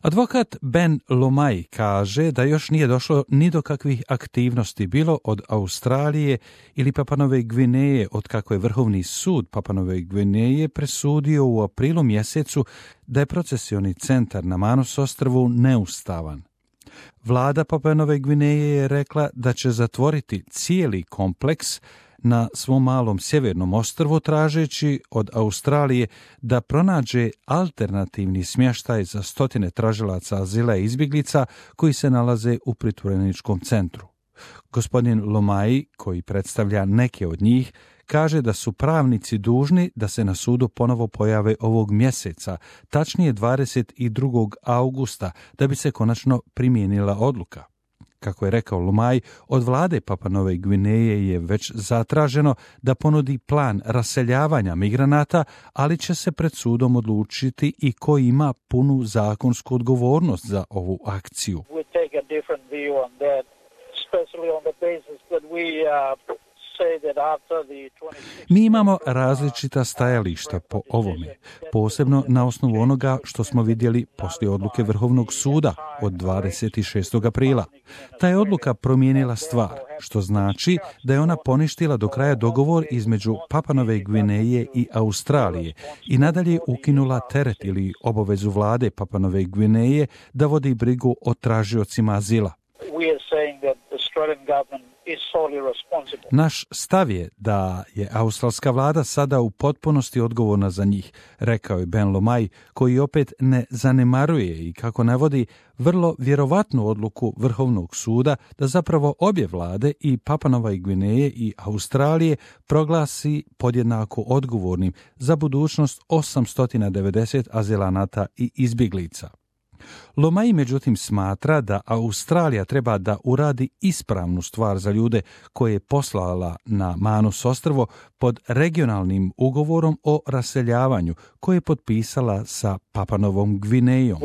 Advokat Ben Lomaj kaže da još nije došlo ni do kakvih aktivnosti bilo od Australije ili Papanove Gvineje od kako je Vrhovni sud Papanove Gvineje presudio u aprilu mjesecu da je procesioni centar na Manus ostrvu neustavan. Vlada Papanove Gvineje je rekla da će zatvoriti cijeli kompleks na svom malom sjevernom ostrvu tražeći od Australije da pronađe alternativni smještaj za stotine tražilaca azila i izbjeglica koji se nalaze u pritvoreničkom centru. Gospodin Lomaj, koji predstavlja neke od njih, kaže da su pravnici dužni da se na sudu ponovo pojave ovog mjeseca, tačnije 22. augusta, da bi se konačno primijenila odluka. Kako je rekao Lomaj, od vlade Papanove Gvineje je već zatraženo da ponudi plan raseljavanja migranata, ali će se pred sudom odlučiti i ko ima punu zakonsku odgovornost za ovu akciju. Mi imamo različita stajališta po ovome, posebno na osnovu onoga što smo vidjeli poslije odluke Vrhovnog suda od 26. aprila. Ta je odluka promijenila stvar, što znači da je ona poništila do kraja dogovor između Papanove Gvineje i Australije i nadalje ukinula teret ili obavezu vlade Papanove Gvineje da vodi brigu o tražiocima azila. Naš stav je da je australska vlada sada u potpunosti odgovorna za njih, rekao je Ben Lomaj, koji opet ne zanemaruje i kako navodi vrlo vjerovatnu odluku Vrhovnog suda da zapravo obje vlade i Papanova Gvineje i Australije proglasi podjednako odgovornim za budućnost 890 azilanata i izbjeglica. Lomaj međutim smatra da Australija treba da uradi ispravnu stvar za ljude koje je poslala na Manus ostrvo pod regionalnim ugovorom o raseljavanju koje je potpisala sa Papanovom Gvinejom.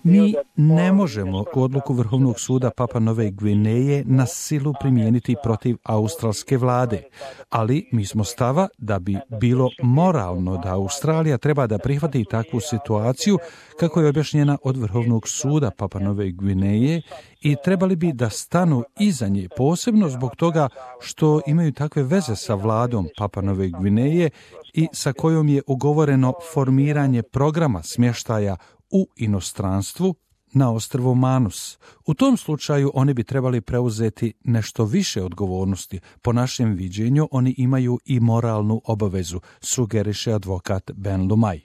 Mi ne možemo odluku Vrhovnog suda Papanove Gvineje na silu primijeniti protiv australske vlade, ali mi smo stava da bi bilo moralno da Australija treba da prihvati takvu situaciju kako je objašnjena od Vrhovnog suda Papanove Gvineje i trebali bi da stanu iza nje, posebno zbog toga što imaju takve veze sa vladom Papanove Gvineje i sa kojom je ugovoreno formiranje programa smještaja u inostranstvu na ostrvu Manus. U tom slučaju oni bi trebali preuzeti nešto više odgovornosti. Po našem viđenju oni imaju i moralnu obavezu, sugeriše advokat Ben Lomaj.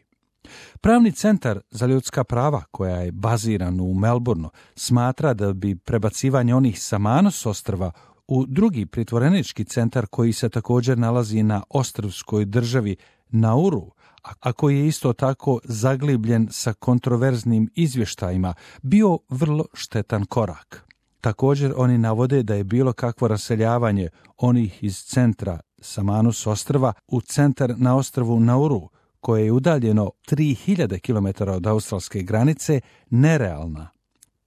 Pravni centar za ljudska prava, koja je baziran u Melbourneu, smatra da bi prebacivanje onih sa Manus ostrva u drugi pritvorenički centar koji se također nalazi na ostrvskoj državi Nauru, a koji je isto tako zaglibljen sa kontroverznim izvještajima, bio vrlo štetan korak. Također oni navode da je bilo kakvo raseljavanje onih iz centra sa Manus ostrva u centar na ostrvu Nauru, koje je udaljeno 3000 km od australske granice, nerealna.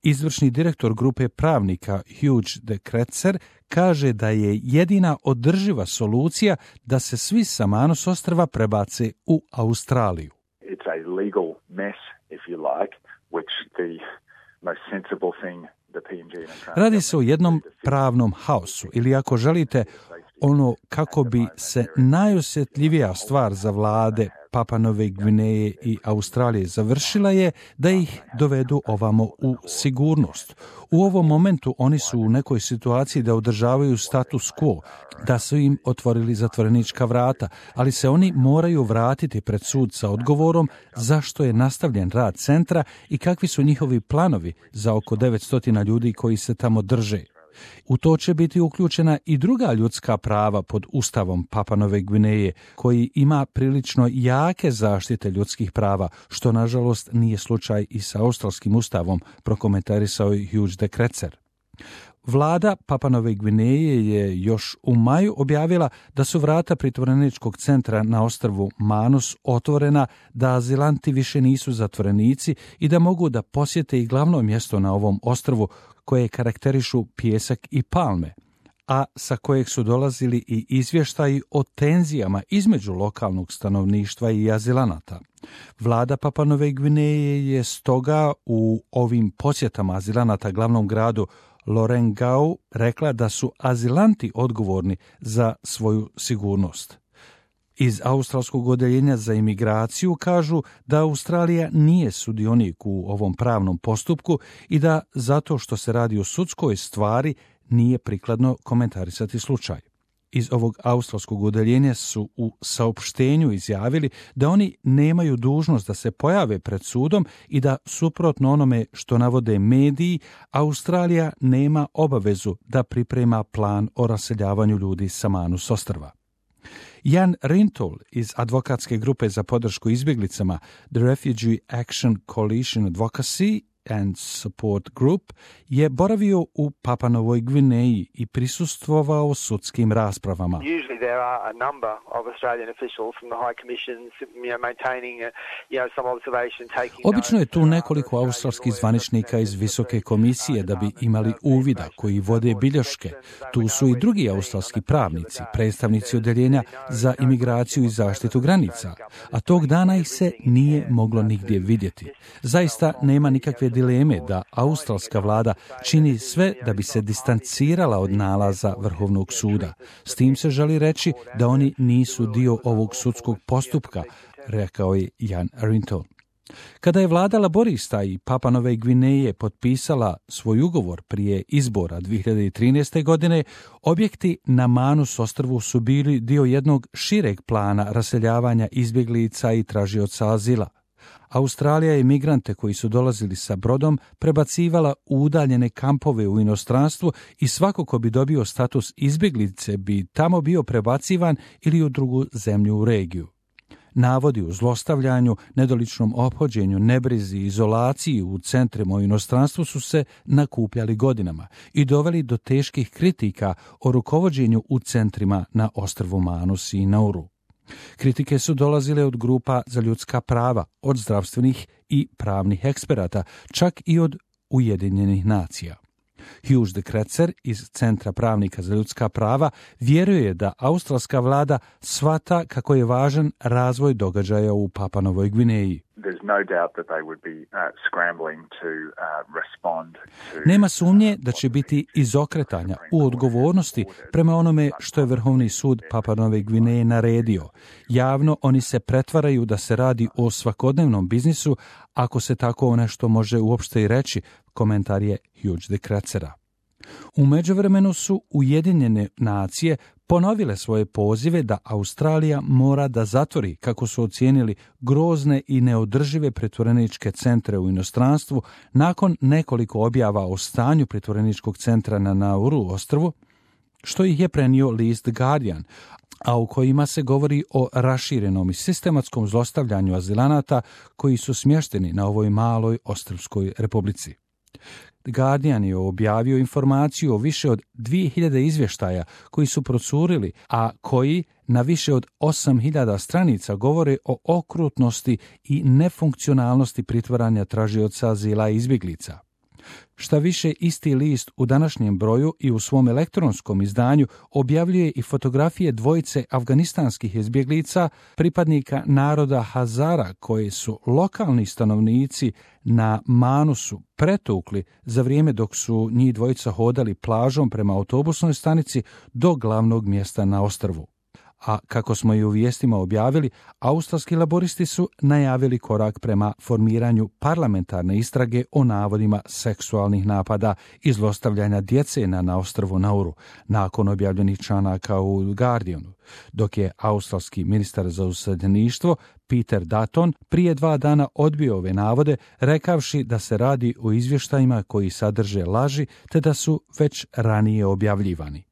Izvršni direktor grupe pravnika Hugh de Kretser kaže da je jedina održiva solucija da se svi sa Manus ostrva prebace u Australiju. It's a legal mess, if you like, which the most sensible thing the PNG Radi se o jednom pravnom haosu, ili ako želite, ono kako bi se najosjetljivija stvar za vlade Papanove Gvineje i Australije završila je da ih dovedu ovamo u sigurnost. U ovom momentu oni su u nekoj situaciji da održavaju status quo, da su im otvorili zatvorenička vrata, ali se oni moraju vratiti pred sud sa odgovorom zašto je nastavljen rad centra i kakvi su njihovi planovi za oko 900 ljudi koji se tamo drže. U to će biti uključena i druga ljudska prava pod Ustavom Papanove Gvineje, koji ima prilično jake zaštite ljudskih prava, što nažalost nije slučaj i sa australskim ustavom, prokomentarisao je Hugh de Kretser. Vlada Papanove Gvineje je još u maju objavila da su vrata pritvoreničkog centra na ostrvu Manus otvorena, da azilanti više nisu zatvorenici i da mogu da posjete i glavno mjesto na ovom ostrvu koje karakterišu pijesak i palme. a sa kojeg su dolazili i izvještaji o tenzijama između lokalnog stanovništva i azilanata. Vlada Papua Nove Gvineje je stoga u ovim posjetama azilanata glavnom gradu Lorengau rekla da su azilanti odgovorni za svoju sigurnost. Iz australskog odeljenja za imigraciju kažu da Australija nije sudionik u ovom pravnom postupku i da zato što se radi o sudskoj stvari nije prikladno komentarisati slučaj. Iz ovog australskog odeljenja su u saopštenju izjavili da oni nemaju dužnost da se pojave pred sudom i da, suprotno onome što navode mediji, Australija nema obavezu da priprema plan o raseljavanju ljudi sa Manus ostrva. Jan Rintoul iz advokatske grupe za podršku izbjeglicama The Refugee Action Coalition Advocacy and Support Group je boravio u Papua Novoj Gvineji i prisustvovao sudskim raspravama. There are a number of Australian officials from the High Commission, maintaining, some observation, taking. Obično je tu nekoliko australskih zvaničnika iz Visoke komisije da bi imali uvida, koji vode bilješke. Tu su i drugi australski pravnici, predstavnici odeljenja za imigraciju i zaštitu granica, a tog dana ih se nije moglo nigdje vidjeti. Zaista nema nikakve dileme da australska vlada čini sve da bi se distancirala od nalaza Vrhovnog suda. S tim se želi reći da oni nisu dio ovog sudskog postupka, rekao je Jan Rintoul. Kada je vlada laborista i Papua Nove Gvineje potpisala svoj ugovor prije izbora 2013. godine, objekti na Manus ostrvu su bili dio jednog šireg plana raseljavanja izbjeglica i tražioca azila. Australija je migrante koji su dolazili sa brodom prebacivala u udaljene kampove u inostranstvu i svako ko bi dobio status izbjeglice bi tamo bio prebacivan ili u drugu zemlju u regiju. Navodi o zlostavljanju, nedoličnom ophođenju, nebrizi i izolaciji u centrima u inostranstvu su se nakupljali godinama i doveli do teških kritika o rukovođenju u centrima na ostrvu Manus i Nauru. Kritike su dolazile od grupa za ljudska prava, od zdravstvenih i pravnih eksperata, čak i od Ujedinjenih nacija. Hugh de Kretser iz Centra pravnika za ljudska prava vjeruje da australska vlada shvata kako je važan razvoj događaja u Papua Novoj Gvineji. Nema sumnje da će biti izokretanja u odgovornosti prema onome što je Vrhovni sud Papua Nove Gvineje naredio. Javno oni se pretvaraju da se radi o svakodnevnom biznisu, ako se tako nešto može uopšte i reći, komentar je Hugh de Kretsera. U međuvremenu su Ujedinjene nacije ponovile svoje pozive da Australija mora da zatvori, kako su ocijenili, grozne i neodržive pritvoreničke centre u inostranstvu nakon nekoliko objava o stanju pritvoreničkog centra na Nauru ostrvu, što ih je prenio list The Guardian, a u kojima se govori o raširenom i sistematskom zlostavljanju azilanata koji su smješteni na ovoj maloj ostrvskoj republici. The Guardian je objavio informaciju o više od 2000 izvještaja koji su procurili, a koji na više od 8000 stranica govore o okrutnosti i nefunkcionalnosti pritvaranja tražioca azila i izbjeglica. Šta više, isti list u današnjem broju i u svom elektronskom izdanju objavljuje i fotografije dvojice afganistanskih izbjeglica, pripadnika naroda Hazara, koje su lokalni stanovnici na Manusu pretukli za vrijeme dok su njih dvojica hodali plažom prema autobusnoj stanici do glavnog mjesta na ostrvu. A kako smo i u vijestima objavili, australski laboristi su najavili korak prema formiranju parlamentarne istrage o navodima seksualnih napada i zlostavljanja djece na ostrvu Nauru, nakon objavljenih članaka u Guardianu, dok je australski ministar za useljeništvo Peter Dutton prije 2 dana odbio ove navode, rekavši da se radi o izvještajima koji sadrže laži te da su već ranije objavljivani.